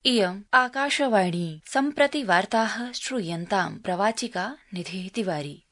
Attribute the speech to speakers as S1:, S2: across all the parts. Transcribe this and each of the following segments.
S1: इयम् आकाशवाणी सम्प्रति वार्ताः श्रूयन्ताम् प्रवाचिका निधिः तिवारी।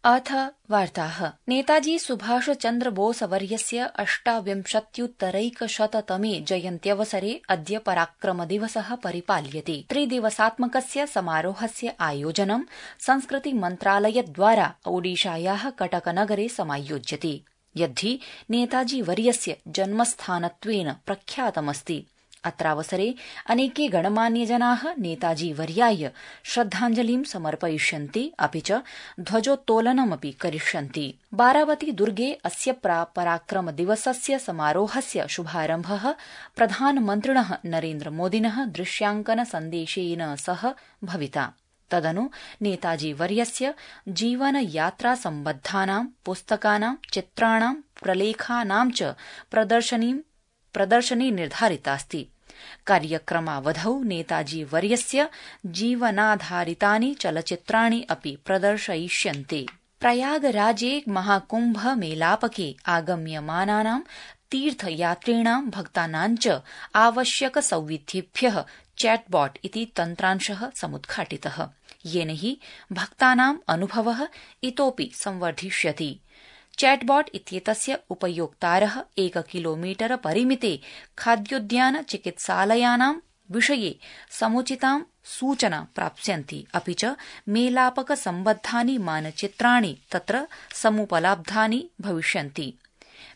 S1: अथ वार्ताः। नेताजी सुभाष चन्द्र बोस वर्यस्य 28-तमे जयन्त्यवसरे अद्य पराक्रम दिवसः परिपाल्यते। 3 दिवसात्मकस्य समारोहस्य आयोजनं संस्कृति मन्त्रालयद्वारा ओडिशायाः कटकनगरे समायोज्यते, यद्धि नेताजी वर्यस्य जन्मस्थानत्वेन प्रख्यातमस्ति। अत्रावसरे अनेके गणमान्यजनाः नेताजी वर्याय श्रद्धाञ्जलिं समर्पयिष्यन्ति, अपि च ध्वजोत्तोलनमपि करिष्यन्ति। बारावती दुर्गे अस्य पराक्रम दिवसस्य समारोहस्य शुभारम्भः प्रधानमन्त्रिणः नरेन्द्रमोदिनः दृश्यांकन सन्देशेन सह भविता। तदनु नेताजी वर्यस्य जीवनयात्रा सम्बद्धानां पुस्तकानां, चित्राणां, प्रलेखानां च प्रदर्शनी निर्धारितास्ति। कार्यक्रमावधौ नेताजी वर्यस्य जीवनाधारितानि चलच्चित्राणि अपि प्रदर्शयिष्यन्ते। प्रयागराजे महाकुम्भ मेलापके आगम्यमानानां तीर्थयात्रिणां भक्तानां च आवश्यक सौविध्येभ्यः चैटबॉट इति तन्त्रांशः समुद्घाटितः, येन हि भक्तानां अनुभवः इतोऽपि संवर्धिष्यति। चैटबॉट इत्येतस्य उपयोक्तारः 1 किलोमीटर परिमिते खाद्योद्यान चिकित्सालयानां विषये समुचितां सूचनां प्राप्स्यन्ति, अपि च मेलापक सम्बद्धानि मानचित्राणि तत्र समुपलब्धानि भविष्यन्ति।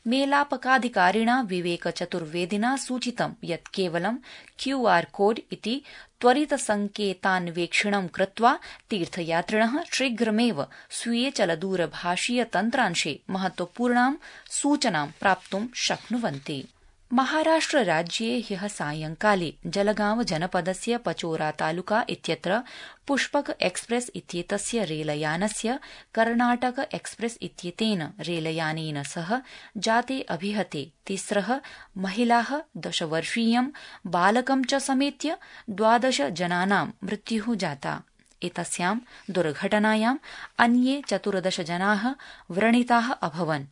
S1: मेलापकाधिकारिणा विवेक चतुर्वेदिना सूचितं यत् केवलं QR कोड इति त्वरितसंकेतान्वेक्षणं कृत्वा तीर्थयात्रिणः शीघ्रमेव स्वीये चलदूरभाषीय तन्त्रांशे महत्वपूर्णां सूचनां प्राप्तुं शक्नुवन्ति। महाराष्ट्रराज्ये ह्यः सायंकाले जलगांव जनपदस्य पचोरा तालुका इत्यत्र पुष्पक एक्सप्रेस इत्येतस्य रेलयानस्य कर्णाटक एक्सप्रेस इत्येतेन रेलयानेन सह जाते अभिहते 3 महिलाः, 10 वर्षीयं बालकं च समेत्य 12 जनानां मृत्युः जाता। एतस्यां दुर्घटनायाम् अन्ये 14 जनाः व्रणिताः अभवन्।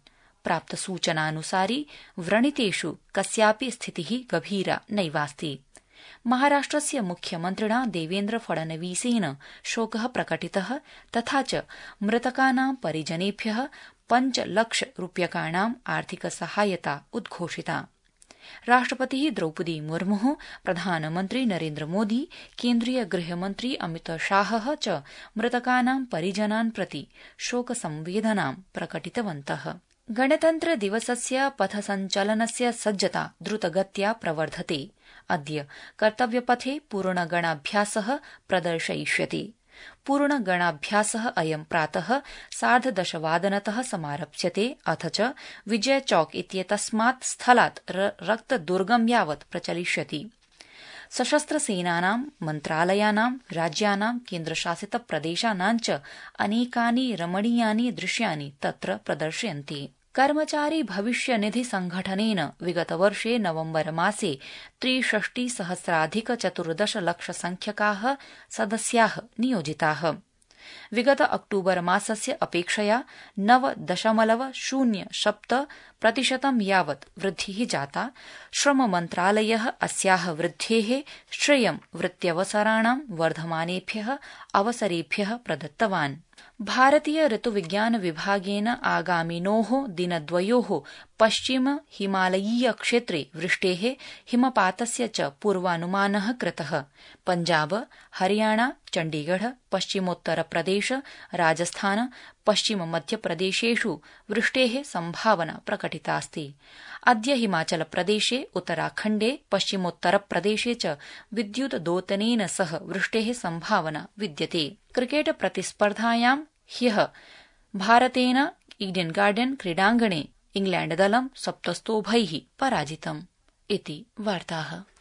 S1: प्राप्तसूचनानुसारि व्रणितेषु कस्यापि स्थितिः गभीरा नैवास्ति। महाराष्ट्रस्य मुख्यमन्त्रिणा देवेन्द्र फडणवीसेन शोकः प्रकटितः, तथा च मृतकानां परिजनेभ्यः 5 लाख रूप्यकाणां आर्थिक सहायता उद्घोषिता। राष्ट्रपतिः द्रौपदी मुर्मुः, प्रधानमन्त्री नरेन्द्र मोदी, केन्द्रीय गृहमन्त्री अमित शाहः च मृतकानां परिजनान् प्रति शोकसंवेदनां प्रकटितवन्तः। गणतन्त्र दिवसस्य पथसञ्चलनस्य सज्जता द्रुतगत्या प्रवर्धते। अद्य कर्तव्यपथे पूर्णगणाभ्यासः प्रदर्शयिष्यते। पूर्णगणाभ्यासः अयं प्रातः 10:30 समारप्स्यते, अथ च विजय चौक इत्येतस्मात् स्थलात् रक्तदुर्गं यावत् प्रचलिष्यति। सशस्त्रसेनानां, मन्त्रालयानां, राज्यानां, केन्द्रशासितप्रदेशानां च अनेकानि रमणीयानि दृश्यानि तत्र प्रदर्श्यन्ते। कर्मचारी भविष्य निधि संघटनेन विगतवर्षे नवम्बर मासे 63,014 लाख संख्यकाः सदस्याः नियोजिताः। विगत अक्टूबर मासस्य अपेक्षया 9.07% यावत् वृद्धिः जाता। श्रम मन्त्रालयः अस्याः वृद्धेः श्रेयं वृत्त्यवसराणां वर्धमानेभ्यः अवसरेभ्यः प्रदत्तवान्। भारतीय ऋतुविज्ञान विभागेन आगामिनोः दिनद्वयोः पश्चिम हिमालयीय क्षेत्रे वृष्टेः, हिमपातस्य च पूर्वानुमानः कृतः। पञ्जाब, हरियाणा, चण्डीगढ़, पश्चिमोत्तरप्रदेश, राजस्थान, पश्चिम मध्यप्रदेशेषु वृष्टेः सम्भावना प्रकटितास्ति। अद्य हिमाचलप्रदेशे, उत्तराखण्डे, पश्चिमोत्तरप्रदेशे च विद्युतदोतनेन सह वृष्टेः सम्भावना विद्यते। क्रिकेट प्रतिस्पर्धायां ह्यः भारतेन ईडन गार्डन क्रीडाङ्गणे इंग्लैण्डदलं 7 स्तोभैः पराजितम्। इति वार्ताः।